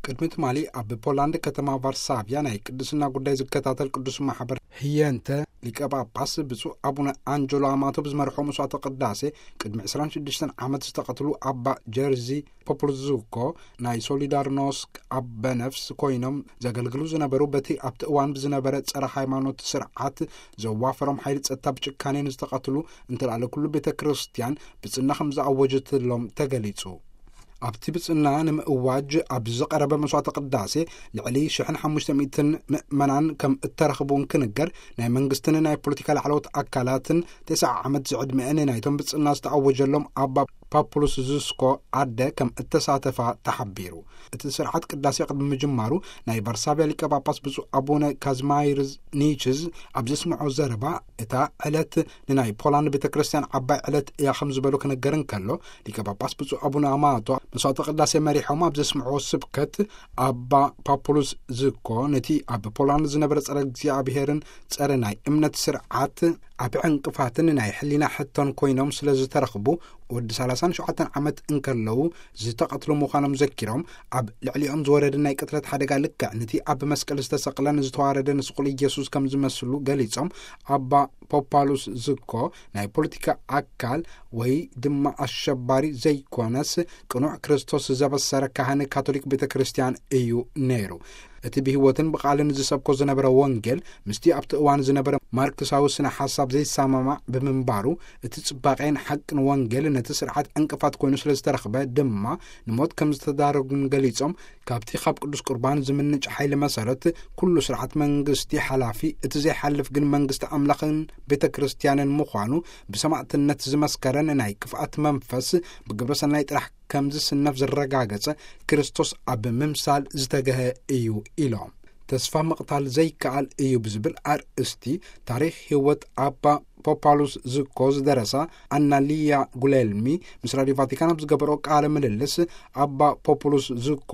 ቅድሚ ትማሊ ኣብ ፖላንድ ከተማ ቫርሳቪያ ናይ ቅድስና ጉዳይ ዝከታተል ቅዱስ ማሕበር ህየንተ ሊቀ ጳጳስ ብፁዕ ኣቡነ ኣንጀሎ ኣማቶ ብዝመርሖ መስዋዕተ ቅዳሴ ቅድሚ ዕስራን ሽዱሽተን ዓመት ዝተቐትሉ ኣባ ጀርዚ ፖፕልዙኮ ናይ ሶሊዳርኖስክ ኣበ ነፍስ ኮይኖም ዘገልግሉ ዝነበሩ፣ በቲ ኣብቲ እዋን ብዝነበረ ጸረ ሃይማኖት ስርዓት ዘዋፈሮም ሓይሊ ጸጥታ ብጭካኔ ንዝተቐትሉ እንተላለ ኩሉ ቤተ ክርስቲያን ብጽና ከም ዝኣወጀትሎም ተገሊጹ። ኣብቲ ብጽና ንምእዋጅ ኣብ ዝቐረበ መስዋዕተ ቅዳሴ ልዕሊ ሽሕን ሓሙሽተ ሚእትን ምእመናን ከም እተረኽቡ እንክንገር፣ ናይ መንግስትን ናይ ፖለቲካ ላዕለዎት ኣካላትን ተስዓ ዓመት ዝዕድመአን ናይቶም ብጽና ዝተኣወጀሎም ኣባ ፓፑሉስ ዙስኮ ኣደ ከም እተሳተፋ ተሓቢሩ። እቲ ስርዓት ቅዳሴ ቅድሚ ምጅማሩ ናይ ቫርሳቪያ ሊቀ ጳጳስ ብፁዕ ኣቡነ ካዝማይርዝ ኒችዝ ኣብ ዘስምዖ ዘረባ፣ እታ ዕለት ንናይ ፖላንድ ቤተ ክርስቲያን ዓባይ ዕለት እያ ከም ዝበሉ ክነገር እንከሎ፣ ሊቀ ጳጳስ ብፁዕ ኣቡነ ኣማቶ መስዋዕተ ቅዳሴ መሪሖም ኣብ ዘስምዕዎ ስብከት፣ ኣባ ፓፑሉስ ዝኮ ነቲ ኣብ ፖላንድ ዝነበረ ጸረ እግዚኣብሔርን ጸረ ናይ እምነት ስርዓት ኣብ ዕንቅፋትን ናይ ሕሊና ሕቶን ኮይኖም ስለ ዝተረኽቡ፣ ወዲ ሰላሳን ሸውዓተን ዓመት እንከለዉ ዝተቐትሉ ምዃኖም ዘኪሮም፣ ኣብ ልዕሊኦም ዝወረደ ናይ ቅትለት ሓደጋ ልክዕ ነቲ ኣብ መስቀል ዝተሰቕለን ዝተዋረደን ስቑል ኢየሱስ ከም ዝመስሉ ገሊጾም፣ ኣባ ፖፓሉስ ዝኮ ናይ ፖለቲካ ኣካል ወይ ድማ ኣሸባሪ ዘይኮነስ፣ ቅኑዕ ክርስቶስ ዘበሰረ ካህን ካቶሊክ ቤተ ክርስቲያን እዩ ነይሩ። እቲ ብህይወትን ብቓልን ዝሰብኮ ዝነበረ ወንጌል ምስቲ ኣብቲ እዋን ዝነበረ ማርክሳዊ ስነ ሓሳብ ዘይሰማማዕ ብምንባሩ፣ እቲ ጽባቄን ሓቅን ወንጌል ነቲ ስርዓት ዕንቅፋት ኮይኑ ስለ ዝተረኽበ ድማ ንሞት ከም ዝተዳረጉን ገሊጾም፣ ካብቲ ካብ ቅዱስ ቁርባን ዝምንጭ ሓይሊ መሰረት ኩሉ ስርዓት መንግስቲ ሓላፊ፣ እቲ ዘይሓልፍ ግን መንግስቲ ኣምላኽን ቤተ ክርስቲያንን ምዃኑ ብሰማዕትነት ዝመስከረን ናይ ክፍኣት መንፈስ ብግብረ ሰናይ ጥራሕ ከም ዝስነፍ ዘረጋገጸ ክርስቶስ ኣብ ምምሳል ዝተገሀ እዩ ኢሎም። ተስፋ ምቕታል ዘይከኣል እዩ ብዝብል ኣርእስቲ ታሪኽ ህይወት ኣባ ፖፓሉስ ዝኮ ዝደረሳ ኣናሊያ ጉሌልሚ ምስ ራድዮ ቫቲካን ኣብ ዝገበሮ ቃለ ምልልስ፣ ኣባ ፖፑሉስ ዝኮ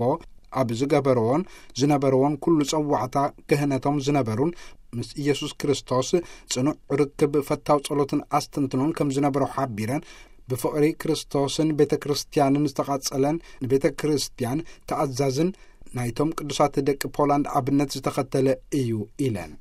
ኣብ ዝገበርዎን ዝነበርዎን ኩሉ ጸዋዕታ ክህነቶም ዝነበሩን ምስ ኢየሱስ ክርስቶስ ጽኑዕ ርክብ፣ ፈታው ጸሎትን ኣስተንትኖን ከም ዝነበሮ ሓቢረን፣ ብፍቕሪ ክርስቶስን ቤተ ክርስቲያንን ዝተቓጸለን ንቤተ ክርስቲያን ተኣዛዝን ናይቶም ቅዱሳት ደቂ ፖላንድ ኣብነት ዝተኸተለ እዩ ኢለን።